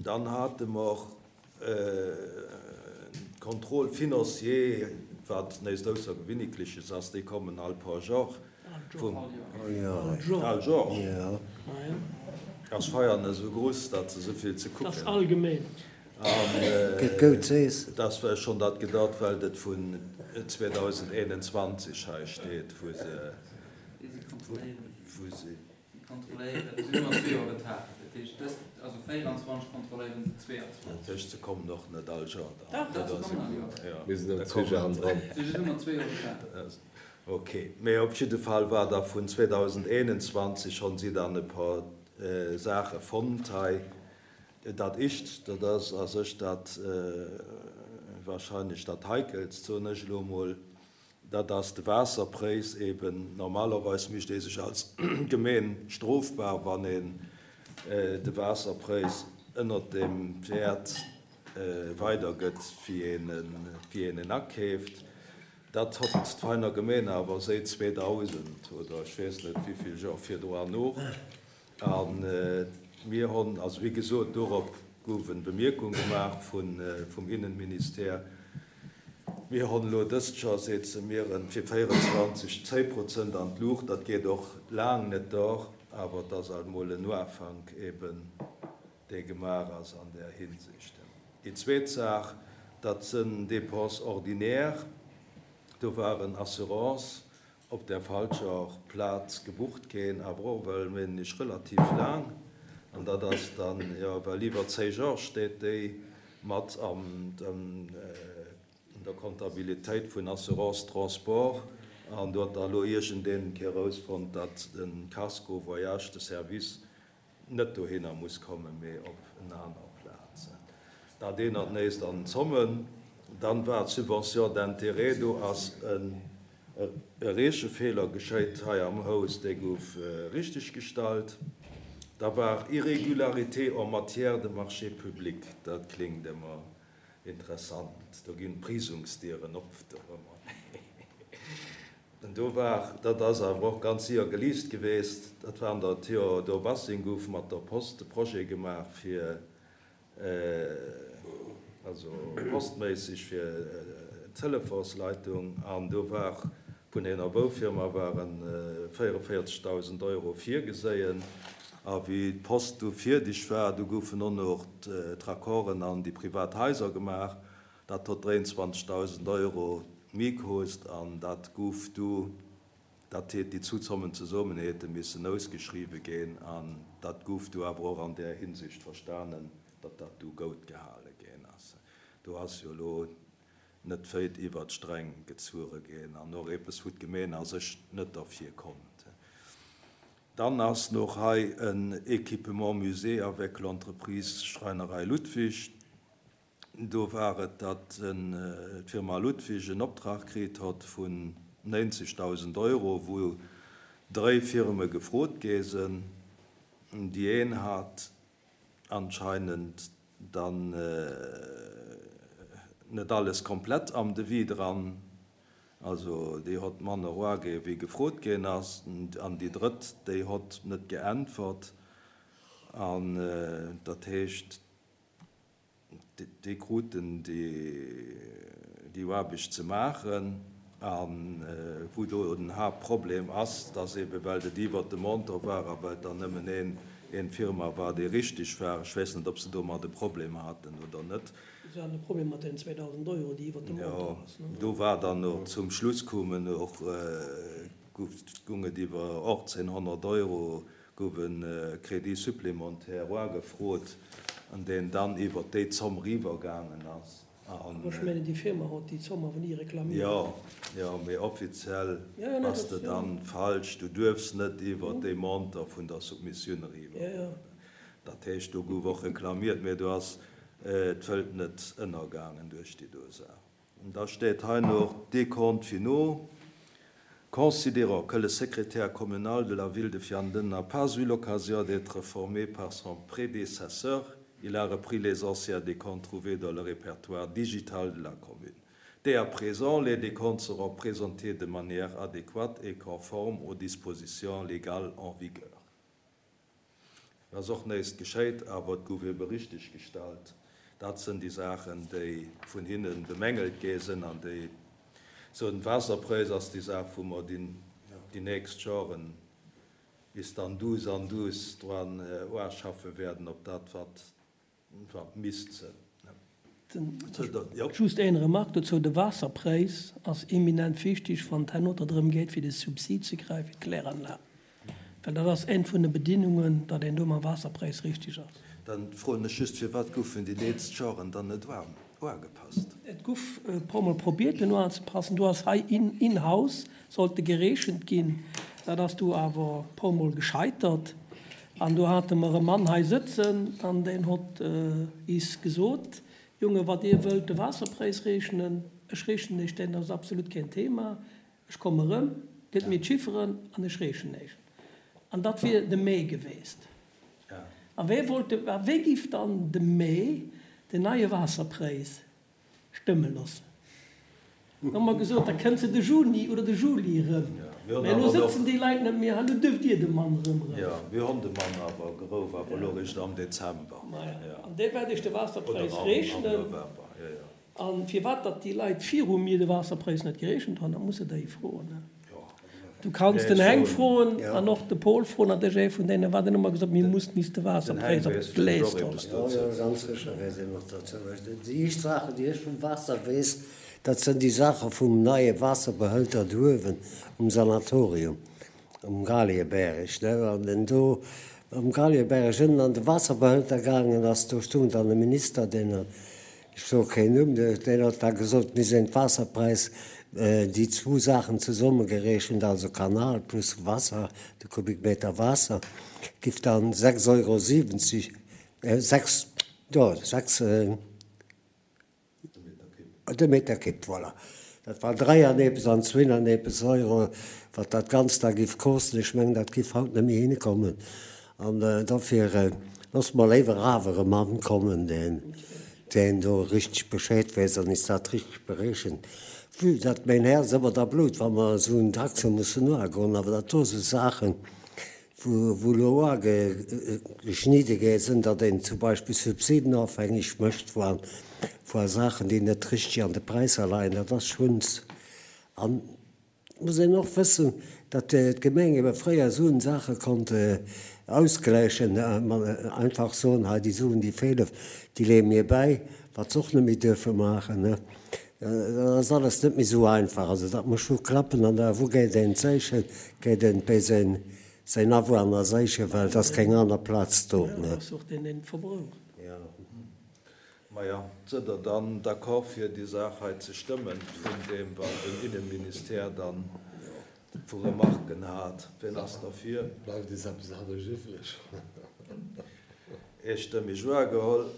Dann hate mer Contrôle financier, wat näischt Aussergewinnikleches ass, déi kommen all paar Jor vum. All Jor. Ass Feiern esou gruss, datt se esou vill ze kucken hunn. An dass war schonn dat gedatt, well et vun 2021 hei steet, wou se, wou se. Si kontrolléieren, si sinn ëmmer zwee Joer Retard. Dat heescht, dëst, also 24 kontrolléieren se 22. Dat heescht, se kommen och net all Joer dann? Dach, dach, se kommen all Joer. Jo, Mir sinn ëm zwee Joer hannendran. Si sinn ëmmer zwee Joer Retard. Ok, mee op jidde Fall war da vun 2021 honn si dann e par Saache fonnt hei. Dat Ischt, dat ass a sech dat wahrscheinlech dat Heikelst, soen ech elo emol, Dat ass de Waasserpréis eben. Normalerweis mécht ee sech als Gemeen strofbar, wann een de Waasserpréis ënnert dem Wäert weidergëtt, wéi een en akeeft. Dat hott d'Veiner Gemeen awer séit 2000 oder ech weess net wéivill Joer virdroan och. A mir honn, also wéi gesot, dorop gouf en Bemierkung gemaach vum Innenministère, mir honn elo dëst Joer, seet se mir, en fir 24 10 Prozent an d'Luucht. Dat geet och laang net dor, awer et ass alt mol en Uafank eben, dee gemaach ass an där Hinsicht. Déi zweet Saach, dat sënn Dépenses ordinaires, do waren Assurances op der falscher Plaz gebucht ginn, awer och well mengen ech relativ laang, an dat ass dann jo well iwwer 10 Jor steet déi mat an der Comptabilitéit vun Assurance Transport, an do huet da elo iergendeen erausfonnt, datt de Casco Voyage de Service net dohinner muss kommen, mee op en aner Plaz. Dat een an d'nächst an Zommen. Dann war d'Subvention d'intérêt, do ass e Reechefeeler geschéit hei am Haus, dee gouf richteggestallt. Da war Irrégularité en matière de marchés publics, dat klingt ëmmer interessant, do ginn d'Prisungsdieren op dorëmmer. An do war, dat ass awer och ganz sier geliicht geweest, dat war an der Théodore Bassing, gouf mat der Post de Projet gemaach fir, also postméisseg fir d'Telefonsleitung, an do war vun enger Boufirma ware 44.000 Euro virgeséien. A wéi d'Post du fierdeg war, du goufen och nach d'Raccorden an déi privat Haiser gemaach. Dat hott 23.000 Euro méi koost an dat guff du, dat heet déi zu Zommen zesommen hete missen ausgeschriwwe gin an dat guff du awer och an där Hinsicht verstanen, datt dat du goud gehale gin ass. Do ass jo elo net wéit iwwert d'Sträng gezuere gin an och eppes wou d'Gemeen a sech net derfir konnt. Dann ass noch hei en Équipement musée avec l'entreprise Schreinerei Ludwig. Do war et, datt d'Firma Ludwig en Optrag kritt hott vun 90.000 Euro, wou dréi Firme gefrot gi sinn. Déi een hat anscheinend dann net alles komplett am Devis dran, also déi hott manner eraginn, wéi gefrot ginn ass, an déi drëtt, déi hott net geäntwert. An dat heescht, Déi kruten déi Aarbecht ze maachen. A wou do den Haaptproblem ass, dass eebe well et iwwert de Montant war a well et dann nëmmen een Firma war, déi richtig war, ech weess net, ob se domat e Problem haten oder net. Se haten e Problem mat deenen 2.000 Euro, déi iwwert de Montant ass. Jo, do war dann och zum Schluss koumen och, gung et iwwer 1.800 Euro gouf e Crédit supplémentaire oagefrot, an deen dann iwwert déi Zomm riwwergaangen ass. Awer ech mengen, déi Firma hott déi Zomm awer ni reklamiert. Jo, jo, mee offiziell bass de dann falsch. Du duerfs net iwwert dee Montant vun der Submissioun eriwwer. Dat heescht, do gouf och reklamiert, mee do ass d'Welt net ënnergaangen duerch déi do Saach. Da steet hei noch Décomptes finaux. Considérant que le secrétaire communal de la ville de Vianden n'a pas eu l'occasion d'être formé par son prédécesseur, il a repris les anciens décomptes trouvés dans le répertoire digital de la commune. Dès à présent, les décomptes seront présentés de manière adéquate et conforme aux dispositions légales en vigueur. Ass och néist geschéit, awer et gouf ebe richtig gestallt. Dat sënn déi Saachen, déi vun hinne bemängelt gi sënn an déi sou den Waasserpräis ass déi Saach, wou mer déi nächst Joren bis dann duuss an duuss dran oarschaffe wäerden op dat wat Wat misst se? Just een Remarque dozou, De Waasserpräis ass eminent wichtig, wann et herno drëm geet, fir de Subsid ze kréien fir d'Kläranlag, well dat ass eng vun de Bedingungen, datt een do mam Waasserpräis richtig ass. Dann froen ech just, Firwat goufen déi leetzt Joren dann net uagepasst? Et guff e puer mol probiert en uanzepassen. Do ass hei in house sollte gereechent ginn. Dat ass du awer e puer mol gescheitert. An do hate mer e Mann hei sëtzen an deen hott is gesot, Jonge, wat dir wëllt de Waasserpräis reechnen, ech reechnen iech deen, dat ass absolut keen Thema. Ech komme rëm, gëtt mir d'Chifferen an ech reechnen iech. An dat wier de Mee geweest. A wee wollt de, a wee giff dann de Mee den neie Waasserpräis stëmme loossen? Da hu mer gesot, da kënnt se de Juni oder de Juli erëm. Mä elo sëtzen déi Leit net méi hei, elo duerft Dir de Mann erëm roufen. Jo, mir hunn de Mann awer gerouf, awer elo eréischt am Dezember. Maja, an dee wäert Iech de Waasserpräis reechnen. Oder am November, jo, jo. A firwat datt déi Leit viru mir de Waasserpräis net gereechent hunn, dat muss de déi froen. Du kanns den Heng froen an och de Paul froen, dat ass ee vun deenen, wat en ëmmer gesot huet, mir mussen is de Waasserpräis op d'Glees droen. Jo, jo, ganz sécher weess een och dozou. Déi éischt Saachen, déi ech vum Waasser weess, dat sënn déi Saache vum neie Waasserbehëlter do uewen um Sanatorium um Galiebäreg, ne, wann en do um Galiebäreg ënnen an de Waasserbehëlter gaangen ass, do stung dann e Minister, deen Ech soe keen Numm, deen huet da gesot, mir sinn d'Waasserpräis, déi zwou Saachen zesummegerechent, also Kanal plus Wasser, de Kubikmeter Waasser, giff dann 6 Euro 70, 6, jo, 6, de Meter Kipp, voilà. Dat war 3 an eppes an zwinn an eppes Euro, wat dat Ganzt da giff kosten. Ech mengen, dat giff haut net méi hinkommen. An dofir loosse mer léiwer awer e Mann kommen, deen do richteg Bescheed weess an is dat richteg bereechent. Vue datt mäin Häerz ëmmer da blutt, wa mer esou en Taxe mussen uagoen, awer dat do si Saachen, wou elo uageschnidde gi sinn, datt een zum Beispill subsidenofhängeg mécht vu Saachen, déi net richteg an de Präisser leien, dat ass schonns. An et muss een och wëssen, datt d'Gemeng ebe fréier esou Saache konnt ausgläichen, einfach soen, hei déi Suen, déi feelen, déi leeë mir bäi, wat se och net méi duerfe maachen. Dat ass alles net méi esou einfach. Also dat muss scho klappen. An da wou geet een séichen? Geet een bei säin säin Awunner séichen, well et ass keng aner Plaz do. Jo, dat ass och deen deen verbraucht. Jo. Maja, sëdd Der dann d'accord fir déi Saach hei ze stëmmen, vun deem wat den Innenministère dann vu Remarken hat? Wien ass derfir? Bleift eis eppes anescht iwwreg? Eestëmmeg uageholl.